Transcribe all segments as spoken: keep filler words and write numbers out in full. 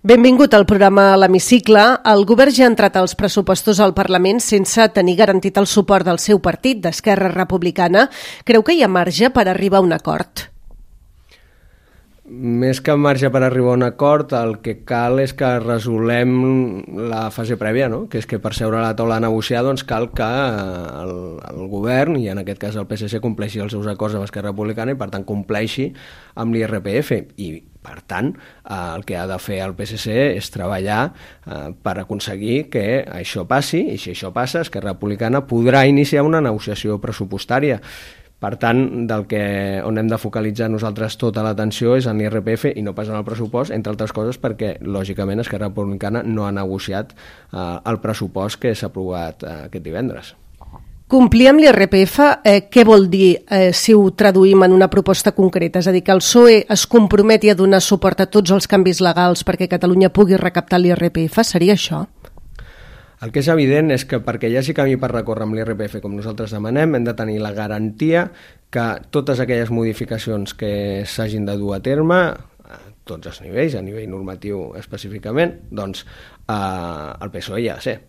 Benvingut al programa a l'Hemicicle. El govern ja ha entrat als pressupostos al Parlament sense tenir garantit el suport del seu partit, d'Esquerra Republicana. Creu que hi ha marge per arribar a un acord? Més que marge per arribar a un acord, el que cal és que resolem la fase prèvia, no? Que és que per seure a la taula a negociar doncs cal que el, el govern, i en aquest cas el P S C, compleixi els seus acords amb Esquerra Republicana i per tant compleixi amb l'I R P F. I per tant, el que ha de fer el P S C és treballar eh, per aconseguir que això passi, i si això passa, Esquerra Republicana podrà iniciar una negociació pressupostària. Per tant, del que, on hem de focalitzar nosaltres tota l'atenció és en l'I R P F i no pas en el pressupost, entre altres coses perquè, lògicament, Esquerra Republicana no ha negociat eh, el pressupost que s'ha aprovat eh, aquest divendres. Complir amb l'I R P F, eh, què vol dir eh, si ho traduïm en una proposta concreta? És a dir, que el P S O E es comprometi a donar suport a tots els canvis legals perquè Catalunya pugui recaptar l'I R P F? Seria això? El que és evident és que perquè hi hagi camí per recórrer amb l'I R P F com nosaltres demanem, hem de tenir la garantia que totes aquelles modificacions que s'hagin de dur a terme, a tots els nivells, a nivell normatiu específicament, doncs eh, el P S O E hi ha de ser,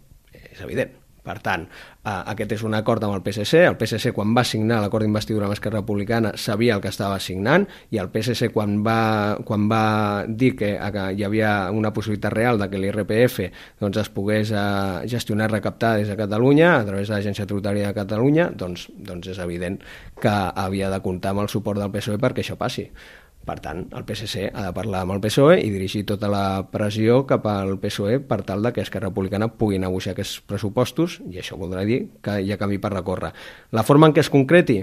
és evident. Per tant, eh, aquest és un acord amb el P S C. El P S C, quan va signar l'acord d'investidura amb Esquerra Republicana, sabia el que estava signant, i el P S C, quan va, quan va dir que, que hi havia una possibilitat real de que l'I R P F doncs, es pogués eh, gestionar i recaptar des de Catalunya, a través de l'Agència Tributària de Catalunya, doncs, doncs és evident que havia de comptar amb el suport del P S O E perquè això passi. Per tant, el P S C ha de parlar amb el P S O E i dirigir tota la pressió cap al P S O E per tal de que Esquerra Republicana pugui negociar aquests pressupostos, i això voldrà dir que hi ha camí per recórrer. La forma en què es concreti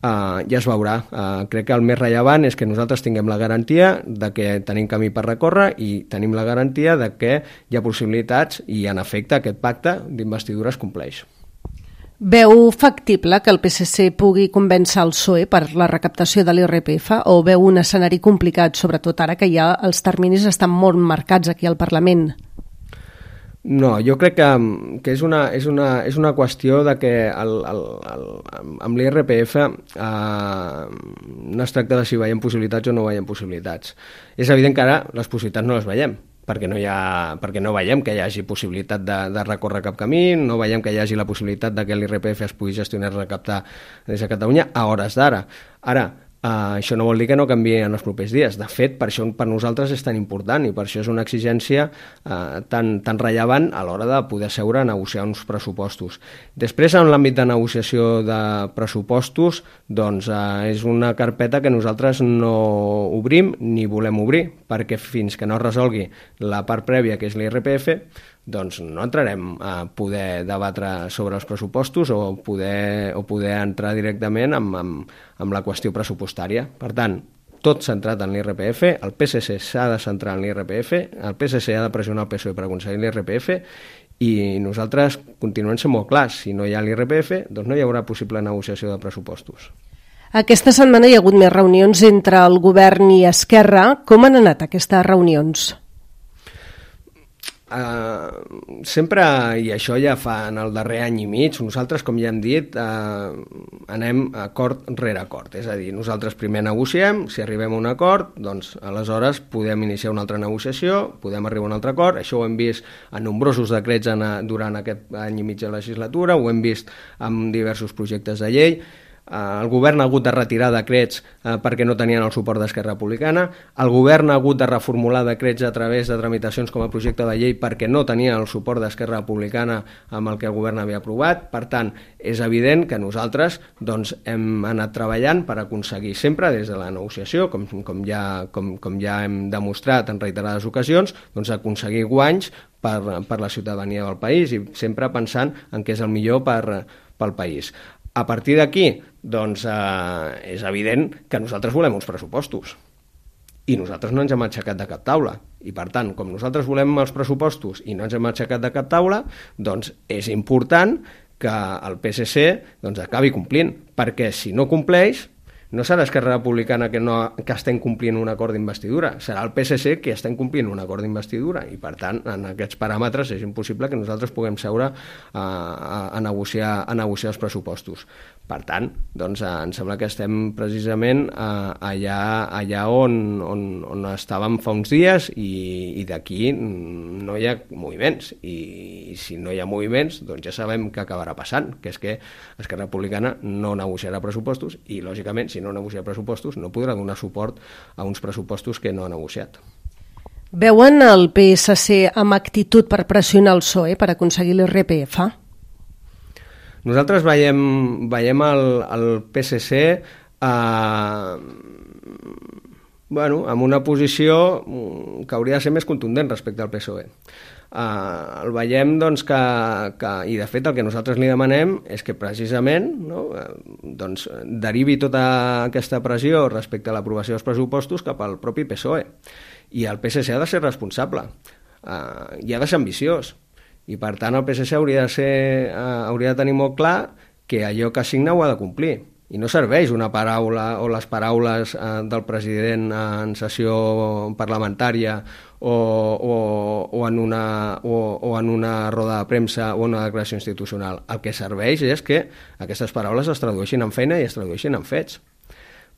Uh, ja es veurà. Uh, crec que el més rellevant és que nosaltres tinguem la garantia de que tenim camí per recórrer i tenim la garantia de que hi ha possibilitats i, en efecte, aquest pacte d'investidura es compleix. Veu factible que el P S C pugui convèncer el P S O E per la recaptació de l'I R P F o veu un escenari complicat, sobretot ara que ja els terminis estan molt marcats aquí al Parlament? No, jo crec que, que és, una, és, una, és una qüestió de que el, el, el, amb l'I R P F eh, no es tracta de si veiem possibilitats o no veiem possibilitats. És evident que ara les possibilitats no les veiem, perquè no, hi ha, perquè no veiem que hi hagi possibilitat de, de recórrer cap camí, no veiem que hi hagi la possibilitat de que l'I R P F es pugui gestionar i recaptar des de Catalunya a hores d'ara. Ara, Uh, això no vol dir que no canviï en els propers dies. De fet, per això per nosaltres és tan important i per això és una exigència uh, tan, tan rellevant a l'hora de poder seure a negociar uns pressupostos. Després, en l'àmbit de negociació de pressupostos, doncs uh, és una carpeta que nosaltres no obrim ni volem obrir, perquè fins que no es resolgui la part prèvia, que és l'I R P F, doncs no entrarem a poder debatre sobre els pressupostos o poder, o poder entrar directament amb, amb, amb la qüestió pressupostària. Per tant, tot centrat en l'I R P F, el P S C s'ha de centrar en l'I R P F, el P S C ha de pressionar el P S O E per aconseguir l'I R P F i nosaltres continuem sent molt clars. Si no hi ha l'I R P F, doncs no hi haurà possible negociació de pressupostos. Aquesta setmana hi ha hagut més reunions entre el govern i Esquerra. Com han anat aquestes reunions? Uh, sempre, i això ja fa en el darrer any i mig, nosaltres, com ja hem dit, uh, anem acord rere acord. És a dir, nosaltres primer negociem, si arribem a un acord, doncs aleshores podem iniciar una altra negociació, podem arribar a un altre acord. Això ho hem vist en nombrosos decrets en, durant aquest any i mig de legislatura, ho hem vist en diversos projectes de llei. El govern ha hagut de retirar decrets eh, perquè no tenien el suport d'Esquerra Republicana, el govern ha hagut de reformular decrets a través de tramitacions com a projecte de llei perquè no tenien el suport d'Esquerra Republicana amb el que el govern havia aprovat. Per tant, és evident que nosaltres doncs, hem anat treballant per aconseguir sempre des de la negociació, com, com, ja, com, com ja hem demostrat en reiterades ocasions, doncs aconseguir guanys per, per la ciutadania del país i sempre pensant en què és el millor per, pel país. A partir d'aquí, doncs, eh, és evident que nosaltres volem uns pressupostos i nosaltres no ens hem aixecat de cap taula. I, per tant, com nosaltres volem els pressupostos i no ens hem aixecat de cap taula, doncs és important que el P S C doncs, acabi complint, perquè si no compleix, no serà Esquerra Republicana que, no, que estem complint un acord d'investidura, serà el P S C que estem complint un acord d'investidura i per tant en aquests paràmetres és impossible que nosaltres puguem seure a, a, a, negociar, a negociar els pressupostos. Per tant, doncs, em sembla que estem precisament allà, allà on, on, on estàvem fa uns dies i, i d'aquí no hi ha moviments i si no hi ha moviments doncs ja sabem què acabarà passant, que és que Esquerra Republicana no negociarà pressupostos i lògicament si no negocia pressupostos no podrà donar suport a uns pressupostos que no ha negociat. Veuen el P S C amb actitud per pressionar el P S O E per aconseguir l'I R P F? Nosaltres veiem, veiem el, el P S C eh, bueno, amb una posició que hauria de ser més contundent respecte al P S O E. Uh, el veiem doncs, que, que, i de fet el que nosaltres li demanem és que precisament no, doncs, derivi tota aquesta pressió respecte a l'aprovació dels pressupostos cap al propi P S O E. I el P S C ha de ser responsable uh, i ha de ser ambiciós. I per tant el P S C hauria de, ser, uh, hauria de tenir molt clar que allò que assigna ho ha de complir. I no serveix una paraula o les paraules uh, del president en sessió parlamentària o, o, o, en una, o, o en una roda de premsa o una declaració institucional. El que serveix és que aquestes paraules es tradueixin en feina i es tradueixin en fets.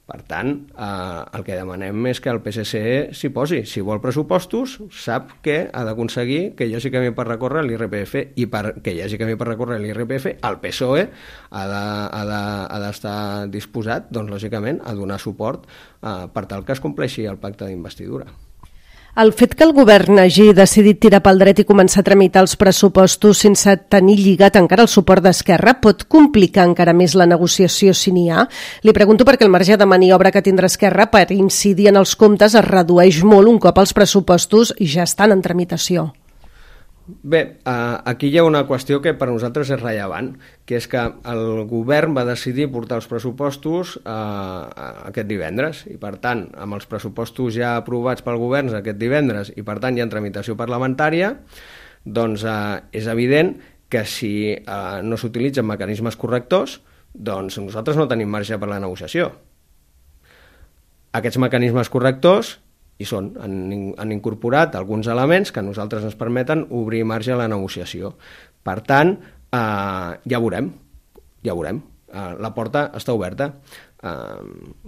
Per tant, eh, el que demanem és que el P S C s'hi posi. Si vol pressupostos, sap que ha d'aconseguir que hi hagi camí per recórrer l'I R P F i perquè hi hagi camí per recórrer l'I R P F, el P S O E ha de, ha de, ha d'estar disposat, doncs, lògicament, a donar suport eh, per tal que es compleixi el pacte d'investidura. El fet que el govern hagi decidit tirar pel dret i començar a tramitar els pressupostos sense tenir lligat encara el suport d'Esquerra pot complicar encara més la negociació si n'hi ha? Li pregunto perquè el marge de maniobra que tindrà Esquerra per incidir en els comptes es redueix molt un cop els pressupostos ja estan en tramitació. Bé, aquí hi ha una qüestió que per nosaltres és rellevant, que és que el govern va decidir portar els pressupostos aquest divendres i per tant, amb els pressupostos ja aprovats pel govern aquest divendres i per tant ja en tramitació parlamentària, doncs és evident que si no s'utilitzen mecanismes correctors, doncs nosaltres no tenim marge per la negociació. Aquests mecanismes correctors i són, han, han incorporat alguns elements que a nosaltres ens permeten obrir marge a la negociació. Per tant, eh, ja veurem, ja veurem. Eh, la porta està oberta. Eh,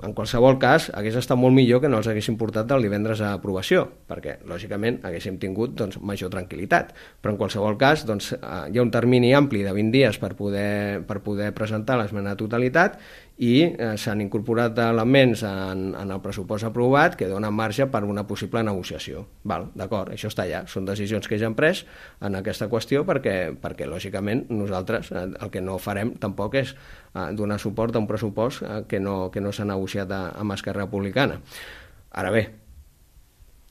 en qualsevol cas, hagués estat molt millor que no els haguessin portat el divendres a aprovació, perquè, lògicament, haguéssim tingut doncs, major tranquil·litat. Però, en qualsevol cas, doncs, eh, hi ha un termini ampli de vint dies per poder, per poder presentar l'esmena de totalitat i eh, s'han incorporat elements en, en el pressupost aprovat que donen marge per una possible negociació. Val, d'acord, això està allà. Són decisions que ja hem pres en aquesta qüestió perquè, perquè lògicament, nosaltres eh, el que no farem tampoc és eh, donar suport a un pressupost eh, que no, que no s'ha negociat a, amb Esquerra Republicana. Ara bé,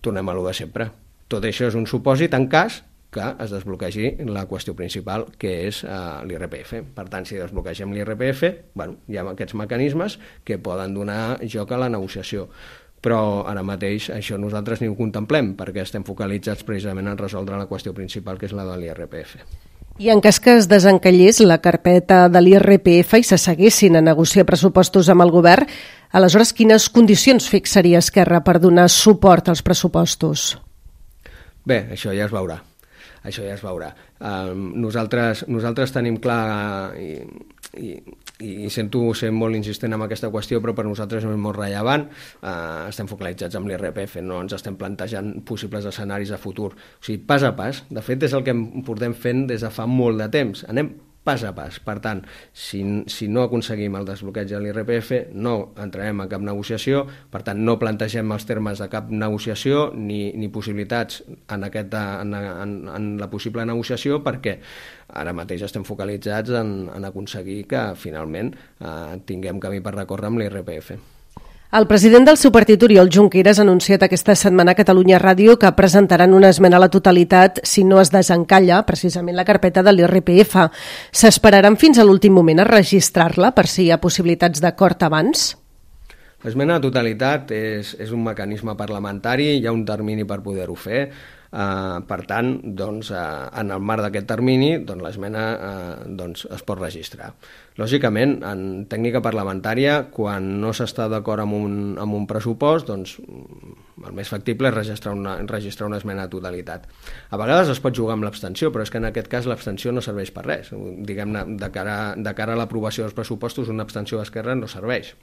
tornem a lo de sempre. Tot això és un supòsit en cas que es desbloquegi la qüestió principal, que és uh, l'I R P F. Per tant, si desbloquegem l'I R P F, bueno, hi ha aquests mecanismes que poden donar joc a la negociació. Però ara mateix això nosaltres ni ho contemplem, perquè estem focalitzats precisament en resoldre la qüestió principal, que és la de l'I R P F. I en cas que es desencallés la carpeta de l'I R P F i s'asseguessin a negociar pressupostos amb el govern, aleshores quines condicions fixaria Esquerra per donar suport als pressupostos? Bé, això ja es veurà. Això ja es veurà. Uh, nosaltres, nosaltres tenim clar, i, i, i sento ser molt insistent en aquesta qüestió, però per nosaltres és molt rellevant, uh, estem focalitzats amb l'I R P F, no ens estem plantejant possibles escenaris a futur. O sigui, pas a pas, de fet és el que portem fent des de fa molt de temps, anem pas a pas. Per tant, si, si no aconseguim el desbloqueig de l'I R P F, no entrarem a cap negociació, per tant, no plantegem els termes de cap negociació ni, ni possibilitats en, aquest, en, en, en la possible negociació, perquè ara mateix estem focalitzats en, en aconseguir que finalment eh, tinguem camí per recórrer amb l'I R P F. El president del seu partit, Oriol Junqueras, ha anunciat aquesta setmana a Catalunya Ràdio que presentaran una esmena a la totalitat si no es desencalla precisament la carpeta de l'I R P F. S'esperaran fins a l'últim moment a registrar-la per si hi ha possibilitats d'acord abans? L'esmena a la totalitat és, és un mecanisme parlamentari, hi ha un termini per poder-ho fer. Uh, per tant, doncs, uh, en el marc d'aquest termini, doncs, l'esmena uh, doncs, es pot registrar. Lògicament, en tècnica parlamentària, quan no s'està d'acord amb, un, amb un pressupost, doncs, el més factible és registrar una, registrar una esmena a totalitat. A vegades es pot jugar amb l'abstenció, però és que en aquest cas l'abstenció no serveix per res. Diguem-ne, de cara, de cara a l'aprovació dels pressupostos, una abstenció d'Esquerra no serveix.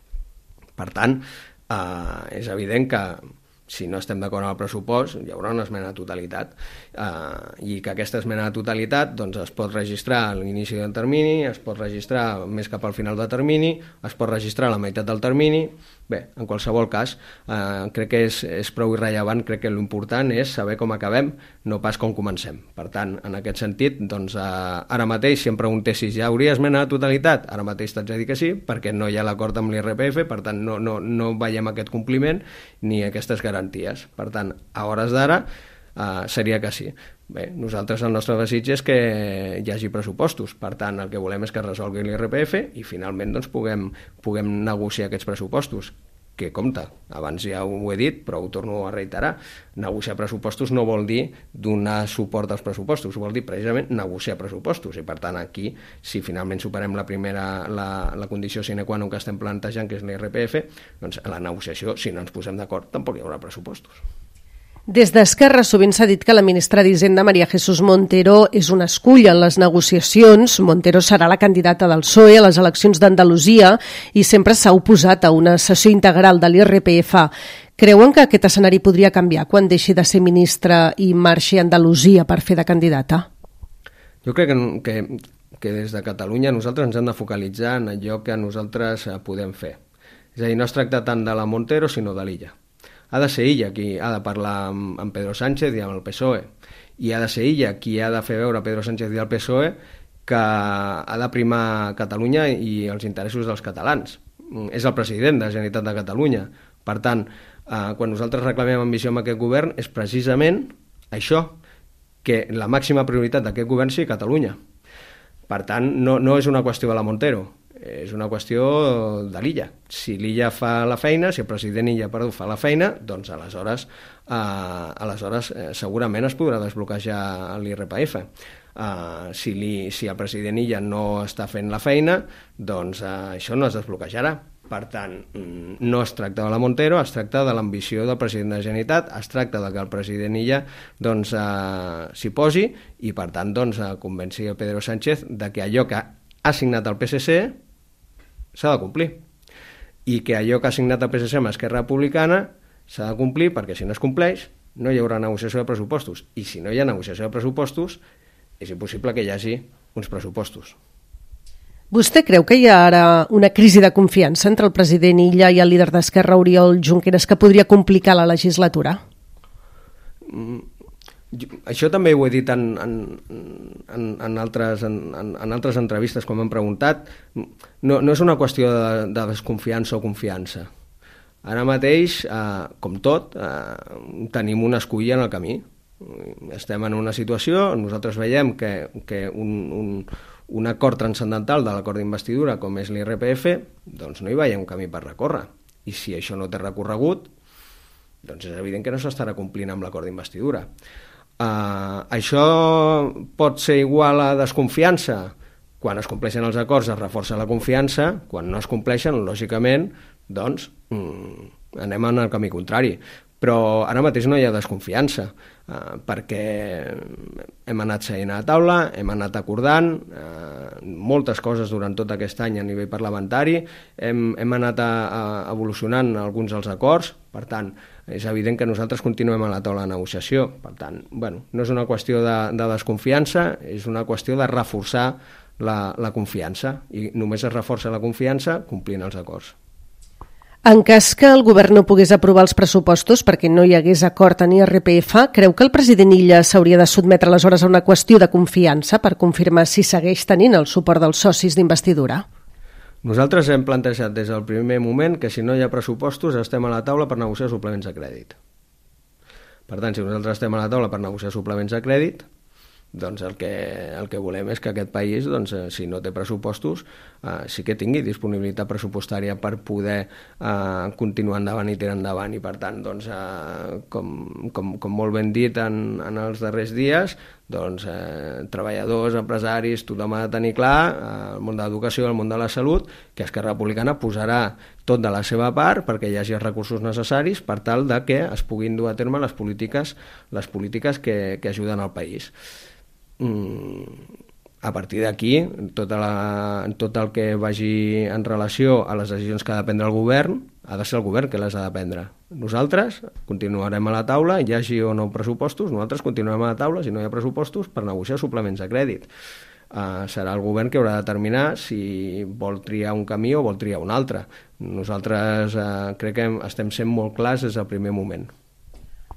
Per tant, uh, és evident que si no estem d'acord amb el pressupost, hi haurà una esmena a totalitat, eh, i que aquesta esmena a totalitat doncs, es pot registrar a l'inici del termini, es pot registrar més cap al final del termini, es pot registrar a la meitat del termini. Bé, en qualsevol cas, eh, crec que és, és prou irrellevant, crec que l'important és saber com acabem, no pas com comencem. Per tant, en aquest sentit, doncs, eh, ara mateix, si em preguntessis, ja hauria esmena a totalitat? Ara mateix t'haig de dir que sí, perquè no hi ha l'acord amb l'I R P F, per tant, no, no, no veiem aquest compliment ni aquestes garanties. Per tant, a hores d'ara, eh, seria que sí. Bé, nosaltres el nostre desig és que hi hagi pressupostos, per tant el que volem és que es resolgui l'I R P F i finalment doncs, puguem, puguem negociar aquests pressupostos, que compte, abans ja ho he dit però ho torno a reiterar, negociar pressupostos no vol dir donar suport als pressupostos, vol dir precisament negociar pressupostos, i per tant aquí, si finalment superem la primera, la, la condició sine qua non que estem plantejant, que és l'I R P F, doncs a la negociació, si no ens posem d'acord, tampoc hi haurà pressupostos. Des d'Esquerra sovint s'ha dit que la ministra d'Hisenda, María Jesús Montero, és una escull en les negociacions. Montero serà la candidata del P S O E a les eleccions d'Andalusia i sempre s'ha oposat a una cessió integral de l'I R P F. Creuen que aquest escenari podria canviar quan deixi de ser ministra i marxi a Andalusia per fer de candidata? Jo crec que, que, que des de Catalunya nosaltres ens hem de focalitzar en allò que nosaltres podem fer. És a dir, no es tracta tant de la Montero sinó de l'illa. Ha de ser ella qui ha de parlar amb, amb Pedro Sánchez i amb el P S O E, i ha de ser ella qui ha de fer veure a Pedro Sánchez i al P S O E que ha de primar Catalunya i els interessos dels catalans. És el president de la Generalitat de Catalunya. Per tant, eh, quan nosaltres reclamem ambició amb aquest govern és precisament això, que la màxima prioritat d'aquest govern sigui Catalunya. Per tant, no, no és una qüestió de la Montero, és una qüestió de l'illa. Si l'illa fa la feina, si el president Illa perdó, fa la feina, doncs aleshores, eh, aleshores eh, segurament es podrà desbloquejar l'I R P F. Eh, si, li, si el president Illa no està fent la feina, doncs eh, això no es desbloquejarà. Per tant, no es tracta de la Montero, es tracta de l'ambició del president de la Generalitat, es tracta de que el president Illa doncs, eh, s'hi posi i, per tant, doncs, eh, convenci a Pedro Sánchez de que allò que ha signat el P S C s'ha de complir, i que allò que ha signat el P S C amb Esquerra Republicana s'ha de complir, perquè si no es compleix no hi haurà negociació de pressupostos, i si no hi ha negociació de pressupostos és impossible que hi hagi uns pressupostos. Vostè creu que hi ha ara una crisi de confiança entre el president Illa i el líder d'Esquerra, Oriol Junqueras, que podria complicar la legislatura? Mm. Això també ho he dit en, en, en, en, altres, en, en altres entrevistes quan m'han preguntat. No, no és una qüestió de, de desconfiança o confiança. Ara mateix, eh, com tot, eh, tenim una esculla en el camí. Estem en una situació, nosaltres veiem que, que un, un, un acord transcendental de l'acord d'investidura com és l'I R P F, doncs no hi veiem un camí per recórrer. I si això no té recorregut, doncs és evident que no s'estarà complint amb l'acord d'investidura. Uh, això pot ser igual a desconfiança. Quan es compleixen els acords es reforça la confiança, quan no es compleixen, lògicament, doncs mm, anem en el camí contrari. Però ara mateix no hi ha desconfiança, uh, perquè hem anat seient a la taula, hem anat acordant uh, moltes coses durant tot aquest any a nivell parlamentari, hem, hem anat a, a evolucionant alguns dels acords, per tant, és evident que nosaltres continuem a la taula de negociació. Per tant, bueno, no és una qüestió de, de desconfiança, és una qüestió de reforçar la, la confiança, i només es reforça la confiança complint els acords. En cas que el govern no pogués aprovar els pressupostos perquè no hi hagués acord en I R P F, creu que el president Illa s'hauria de sotmetre aleshores a una qüestió de confiança per confirmar si segueix tenint el suport dels socis d'investidura? Nosaltres hem plantejat des del primer moment que si no hi ha pressupostos estem a la taula per negociar suplements de crèdit. Per tant, si nosaltres estem a la taula per negociar suplements de crèdit, doncs el que, el que volem és que aquest país, doncs, si no té pressupostos, eh, sí que tingui disponibilitat pressupostària per poder eh, continuar endavant i tirar endavant. I per tant, doncs, eh, com, com, com molt ben dit en, en els darrers dies, doncs, eh, treballadors, empresaris, tothom ha de tenir clar, eh, el món de l'educació, el món de la salut, que Esquerra Republicana posarà tot de la seva part perquè hi hagi els recursos necessaris per tal de que es puguin dur a terme les polítiques, les polítiques que, que ajuden al país. A partir d'aquí, tot, la, tot el que vagi en relació a les decisions que ha de prendre el govern, ha de ser el govern que les ha de prendre. Nosaltres continuarem a la taula, hi hagi o no pressupostos, nosaltres continuarem a la taula, si no hi ha pressupostos, per negociar suplements de crèdit. Uh, serà el govern que haurà de determinar si vol triar un camí o vol triar un altre. Nosaltres uh, crec que estem sent molt clars des del primer moment.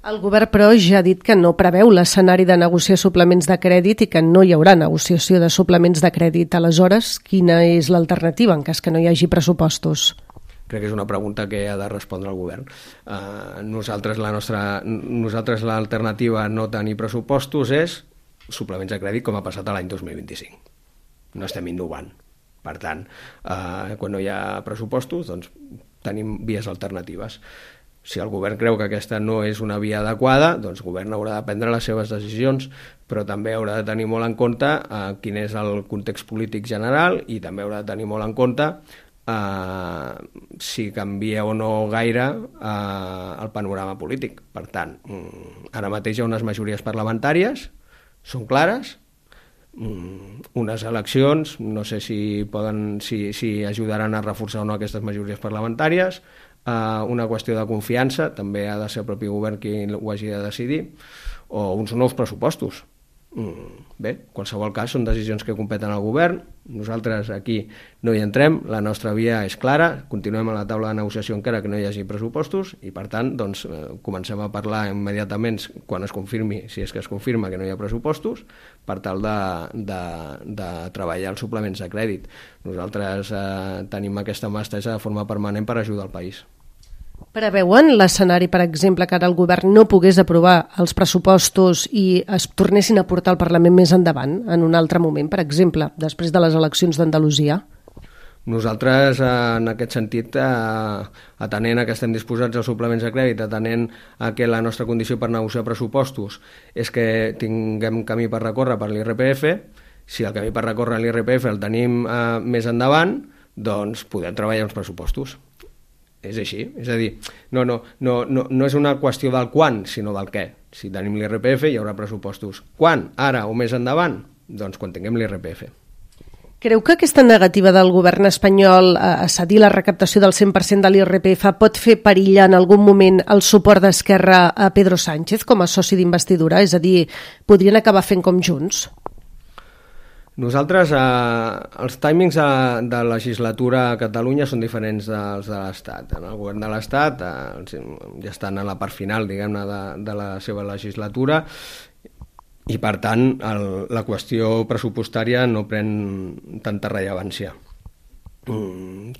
El govern, però, ja ha dit que no preveu l'escenari de negociar suplements de crèdit i que no hi haurà negociació de suplements de crèdit. Aleshores, quina és l'alternativa en cas que no hi hagi pressupostos? Crec que és una pregunta que ha de respondre el govern. Uh, nosaltres la nostra, nosaltres l'alternativa a no tenir pressupostos és suplements de crèdit com ha passat l'any dos mil vint-i-cinc. No estem innovant. Per tant, uh, quan no hi ha pressupostos, doncs tenim vies alternatives. Si el govern creu que aquesta no és una via adequada, doncs el govern haurà de prendre les seves decisions, però també haurà de tenir molt en compte eh, quin és el context polític general i també haurà de tenir molt en compte eh, si canvia o no gaire eh, el panorama polític. Per tant, ara mateix hi ha unes majories parlamentàries, són clares, unes eleccions, no sé si, poden, si, si ajudaran a reforçar o no aquestes majories parlamentàries, Uh, una qüestió de confiança, també ha de ser el propi govern qui ho hagi de decidir, o uns nous pressupostos. Mm, bé, en qualsevol cas són decisions que competen al govern, nosaltres aquí no hi entrem, la nostra via és clara, continuem a la taula de negociació encara que no hi hagi pressupostos i per tant doncs, eh, comencem a parlar immediatament quan es confirmi, si és que es confirma que no hi ha pressupostos, per tal de, de, de treballar els suplements de crèdit. Nosaltres eh, tenim aquesta mà estesa de forma permanent per ajudar el país. Preveuen l'escenari, per exemple, que ara el govern no pogués aprovar els pressupostos i es tornessin a portar al Parlament més endavant, en un altre moment, per exemple, després de les eleccions d'Andalusia? Nosaltres, en aquest sentit, atenent a que estem disposats als suplements de crèdit, atenent a que la nostra condició per negociar pressupostos és que tinguem camí per recórrer per l'I R P F, si el camí per recórrer l'I R P F el tenim eh, més endavant, doncs podem treballar uns pressupostos. És així, és a dir, no, no, no, no, no és una qüestió del quan, sinó del què. Si tenim l'I R P F hi haurà pressupostos. Quan? Ara o més endavant? Doncs quan tinguem l'I R P F. Creu que aquesta negativa del govern espanyol a cedir la recaptació del cent per cent de l'I R P F pot fer perillar en algun moment el suport d'Esquerra a Pedro Sánchez com a soci d'investidura? És a dir, podrien acabar fent com Junts? Nosaltres, eh, els timings de, de legislatura a Catalunya són diferents dels de l'Estat. En el govern de l'Estat eh, ja estan a la part final, diguem-ne, de, de la seva legislatura i, per tant, el, la qüestió pressupostària no pren tanta rellevància.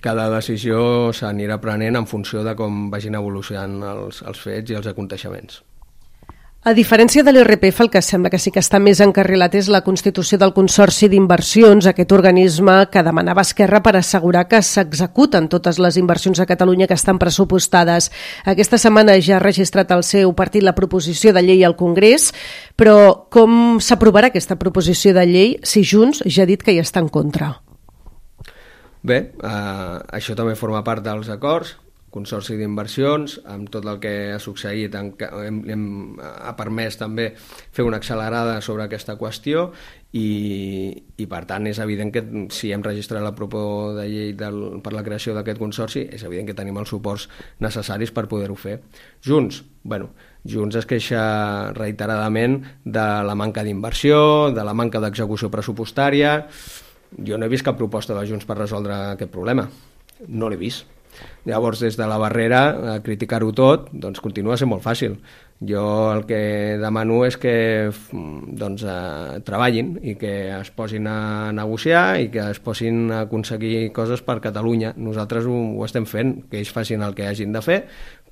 Cada decisió s'anirà prenent en funció de com vagin evolucionant els, els fets i els aconteixements. A diferència de l'I R P F, el que sembla que sí que està més encarrilat és la constitució del Consorci d'Inversions, aquest organisme que demanava Esquerra per assegurar que s'executen totes les inversions a Catalunya que estan pressupostades. Aquesta setmana ja ha registrat el seu partit la proposició de llei al Congrés, però com s'aprovarà aquesta proposició de llei si Junts ja ha dit que hi està en contra? Bé, eh, això també forma part dels acords. Consorci d'Inversions, amb tot el que ha succeït, hem, hem, ha permès també fer una accelerada sobre aquesta qüestió i, i per tant és evident que si hem registrat la proposició de llei del, per la creació d'aquest consorci, és evident que tenim els suports necessaris per poder-ho fer. Junts, bueno, Junts es queixa reiteradament de la manca d'inversió, de la manca d'execució pressupostària. Jo no he vist cap proposta de Junts per resoldre aquest problema, no l'he vist. Llavors, des de la barrera, criticar-ho tot, doncs continua sent molt fàcil. Jo el que demano és que doncs, eh, treballin i que es posin a negociar i que es posin a aconseguir coses per Catalunya. Nosaltres ho, ho estem fent, que ells facin el que hagin de fer,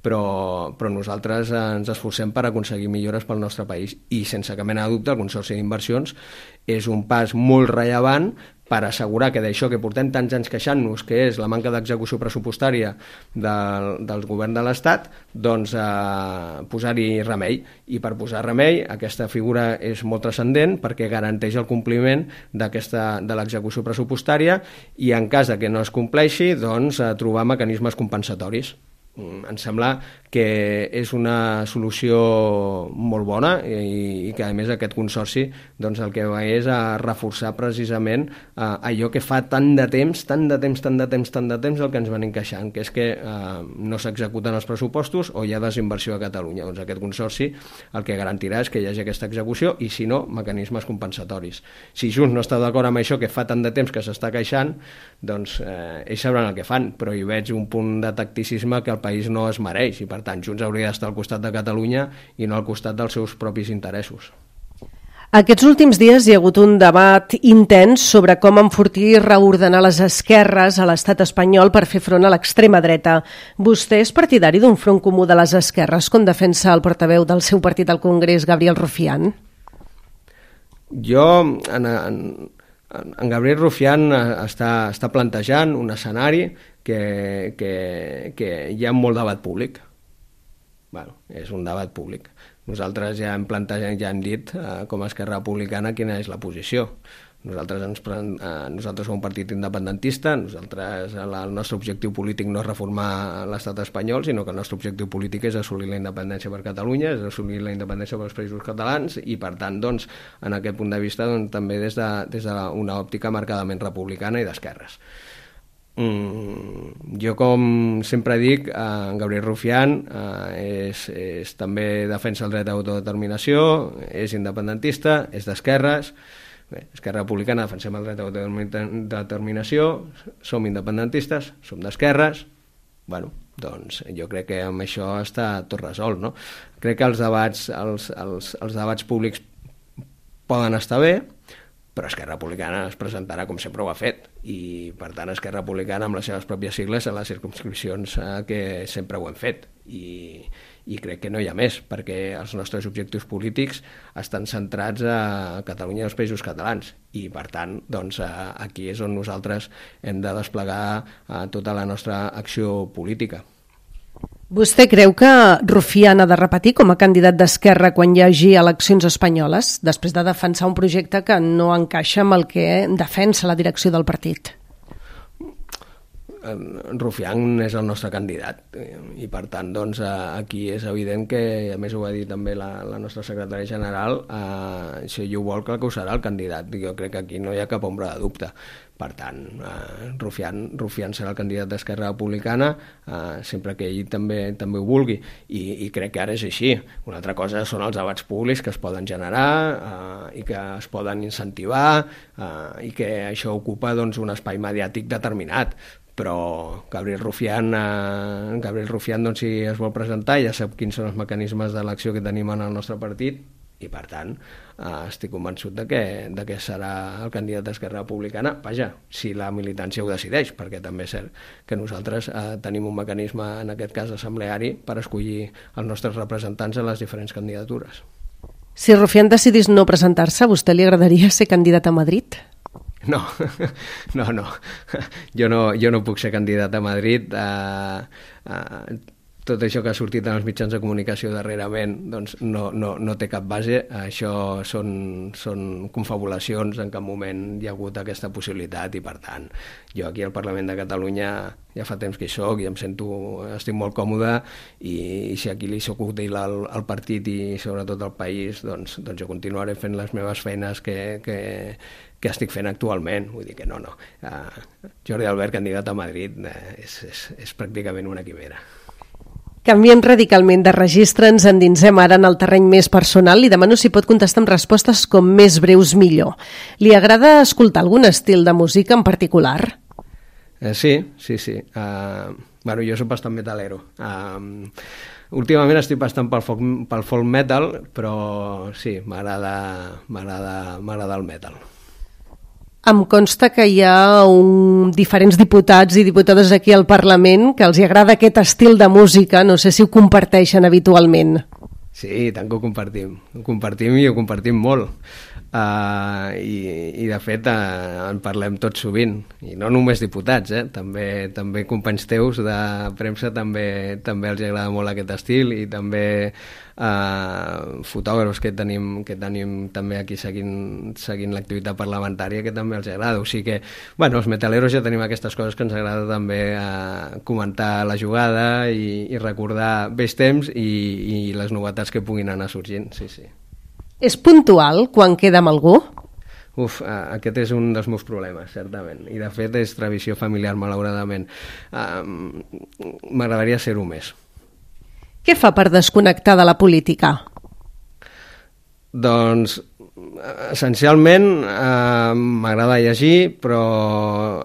però, però nosaltres ens esforcem per aconseguir millores pel nostre país i sense cap mena de dubte el Consorci d'Inversions és un pas molt rellevant per assegurar que d'això que portem tants anys queixant-nos, que és la manca d'execució pressupostària del, del govern de l'Estat, doncs eh, posar-hi remei. I per posar remei, aquesta figura és molt transcendent perquè garanteix el compliment d'aquesta de l'execució pressupostària i en cas de que no es compleixi, doncs eh, trobar mecanismes compensatoris. Em sembla que és una solució molt bona i, i que a més aquest consorci doncs el que va és a reforçar precisament eh, allò que fa tant de temps, tant de temps, tant de temps, tant de temps el que ens van encaixant, que és que eh, no s'executen els pressupostos o hi ha desinversió a Catalunya. Doncs aquest consorci el que garantirà és que hi hagi aquesta execució i si no, mecanismes compensatoris. Si Junts no està d'acord amb això que fa tant de temps que s'està queixant, doncs eh, ells sabran el que fan, però hi veig un punt de tacticisme que el país no es mereix i per tant Junts hauria d'estar al costat de Catalunya i no al costat dels seus propis interessos. Aquests últims dies hi ha hagut un debat intens sobre com enfortir i reordenar les esquerres a l'estat espanyol per fer front a l'extrema dreta. Vostè és partidari d'un front comú de les esquerres, com defensa el portaveu del seu partit al Congrés, Gabriel Rufián? Jo, en, en, en Gabriel Rufián està, està plantejant un escenari que, que, que hi ha molt debat públic. Bueno, és un debat públic. Nosaltres ja hem plantejat, ja hem dit eh, com a Esquerra Republicana quina és la posició. Nosaltres, ens, eh, nosaltres som un partit independentista, nosaltres el, el nostre objectiu polític no és reformar l'estat espanyol, sinó que el nostre objectiu polític és assolir la independència per Catalunya, és assolir la independència pels països catalans i per tant, doncs, en aquest punt de vista doncs, també des de, des d'una òptica marcadament republicana i d'esquerres. Mm, jo com sempre dic, eh, Gabriel Rufián eh, és, és també defensa el dret d'autodeterminació, és independentista, és d'esquerres. Bé, Esquerra Republicana defensem el dret d'autodeterminació, som independentistes, som d'esquerres. Bueno, doncs jo crec que amb això està tot resolt, no? Crec que els debats, els, els, els debats públics poden estar bé, però Esquerra Republicana es presentarà com sempre ho ha fet i per tant Esquerra Republicana amb les seves pròpies sigles en les circumscripcions eh, que sempre ho hem fet i, i crec que no hi ha més perquè els nostres objectius polítics estan centrats a Catalunya i als països catalans i per tant doncs, eh, aquí és on nosaltres hem de desplegar eh, tota la nostra acció política. Vostè creu que Rufián ha de repetir com a candidat d'Esquerra quan hi hagi eleccions espanyoles, després de defensar un projecte que no encaixa amb el que defensa la direcció del partit? Rufián és el nostre candidat i per tant doncs, aquí és evident que, a més ho va dir també la, la nostra secretària general, eh, si ell ho vol clar que ho serà el candidat. Jo crec que aquí no hi ha cap ombra de dubte. Per tant, eh, Rufián, Rufián serà el candidat d'Esquerra Republicana eh, sempre que ell també també ho vulgui I, i crec que ara és així. Una altra cosa són els debats públics que es poden generar eh, i que es poden incentivar eh, i que això ocupa doncs, un espai mediàtic determinat. Però Gabriel Rufián, eh, Gabriel Rufián doncs, si es vol presentar ja sap quins són els mecanismes d'elecció que tenim en el nostre partit i per tant eh, estic convençut de que, de que serà el candidat d'Esquerra Republicana, vaja, si la militància ho decideix, perquè també és cert que nosaltres eh, tenim un mecanisme, en aquest cas assembleari, per escollir els nostres representants a les diferents candidatures. Si Rufián decidís no presentar-se, a vostè li agradaria ser candidat a Madrid? No, no, no. Jo no, jo no puc ser candidat a Madrid. Eh, eh, tot això que ha sortit en els mitjans de comunicació darrerament doncs no, no, no té cap base. Això són, són confabulacions, en cap moment hi ha hagut aquesta possibilitat i per tant jo aquí al Parlament de Catalunya ja fa temps que hi soc i em sento, estic molt còmode i, i si aquí li soc útil al, al partit i sobretot al país doncs, doncs jo continuaré fent les meves feines que, que, que estic fent actualment. Vull dir que no, no. Uh, Jordi Albert, candidat a Madrid, uh, és, és, és pràcticament una quimera. Canviem radicalment de registre, ens endinsem ara en el terreny més personal. Li demano si pot contestar amb respostes com més breus millor. Li agrada escoltar algun estil de música en particular? Eh, sí, sí, sí. Uh, bueno, jo soc bastant metalero. Uh, últimament estic bastant pel folk, pel folk metal, però sí, m'agrada, m'agrada, m'agrada el metal. Em consta que hi ha un, diferents diputats i diputades aquí al Parlament que els hi agrada aquest estil de música, no sé si ho comparteixen habitualment. Sí, tant que ho compartim, ho compartim i ho compartim molt. Uh, i, i de fet uh, en parlem tot sovint, i no només diputats, eh? també, també companys teus de premsa també, també els agrada molt aquest estil, i també uh, fotògrafs que tenim, que tenim també aquí seguint, seguint l'activitat parlamentària, que també els agrada. O sigui que, bueno, els metaleros ja tenim aquestes coses que ens agrada també uh, comentar la jugada i, i recordar vells temps i, i les novetats que puguin anar sorgint, sí, sí. És puntual quan queda amb algú? Uf, aquest és un dels meus problemes, certament. I de fet és tradició familiar, malauradament. Um, M'agradaria ser-ho més. Què fa per desconnectar de la política? Doncs, essencialment, eh, m'agrada llegir, però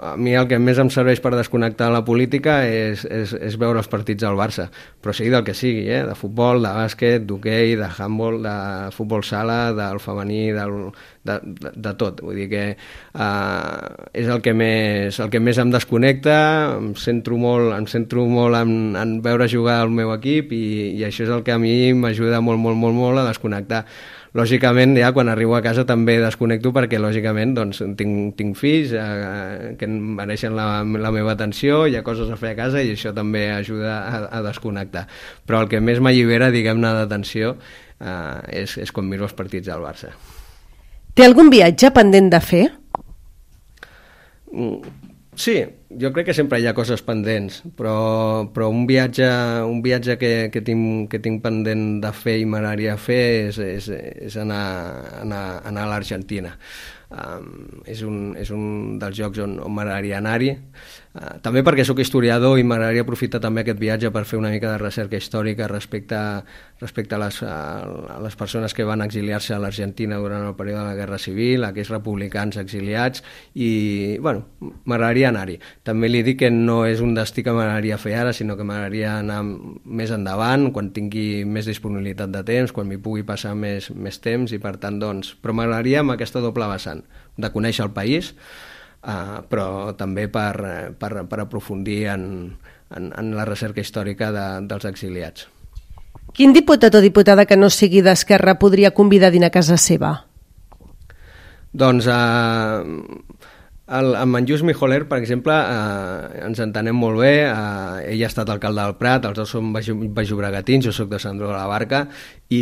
a mi el que més em serveix per desconnectar de la política és, és, és veure els partits del Barça, però sigui del que sigui, eh? De futbol, de bàsquet, d'hoquei, de handball, de futbol sala, del femení, del, de, de, de tot. Vull dir que eh, és el que, més, el que més em desconnecta, em centro molt, em centro molt en, en veure jugar el meu equip, i, i això és el que a mi m'ajuda molt, molt, molt, molt a desconnectar. Lògicament, ja quan arribo a casa també desconnecto perquè, lògicament, doncs, tinc, tinc fills eh, que mereixen la, la meva atenció, hi ha coses a fer a casa i això també ajuda a, a desconnectar. Però el que més m'allibera, diguem-ne, d'atenció eh, és, és quan miro els partits del Barça. Té algun viatge pendent de fer? Sí, jo crec que sempre hi ha coses pendents, però, però un viatge, un viatge que, que, tinc, que tinc pendent de fer i m'agradaria fer és, és, és anar, anar, anar a l'Argentina. Um, és, un, és un dels llocs on, on m'agradaria anar-hi, uh, també perquè sóc historiador i m'agradaria aprofitar també aquest viatge per fer una mica de recerca històrica respecte, respecte a, les, a les persones que van exiliar-se a l'Argentina durant el període de la Guerra Civil, aquells republicans exiliats, i bueno, m'agradaria anar-hi. També li dic que no és un destí que m'agradaria fer ara, sinó que m'agradaria anar més endavant, quan tingui més disponibilitat de temps, quan m'hi pugui passar més, més temps, i per tant, doncs, però m'agradaria amb aquesta doble vessant de conèixer el país, eh, però també per, per, per aprofundir en, en, en la recerca històrica de, dels exiliats. Quin diputat o diputada que no sigui d'Esquerra podria convidar a dinar a casa seva? Doncs eh, el, amb en Lluís Mijoler, per exemple, eh, ens entenem molt bé. Eh, ell ha estat alcalde del Prat, els dos som baixobregatins, jo soc de Sant Andreu de la Barca, i,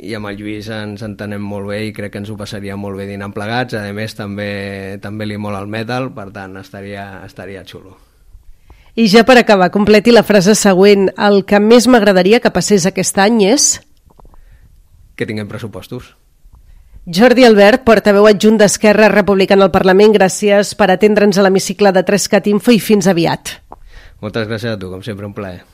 i amb el Lluís ens entenem molt bé i crec que ens ho passaria molt bé dinant plegats. A més, també, també li mola el metal, per tant, estaria, estaria xulo. I ja per acabar, completi la frase següent. El que més m'agradaria que passés aquest any és... Que tinguem pressupostos. Jordi Albert, portaveu adjunt d'Esquerra Republicana al Parlament, gràcies per atendre'ns a l'hemicicle de tres cat info i fins aviat. Moltes gràcies a tu, com sempre, un plaer.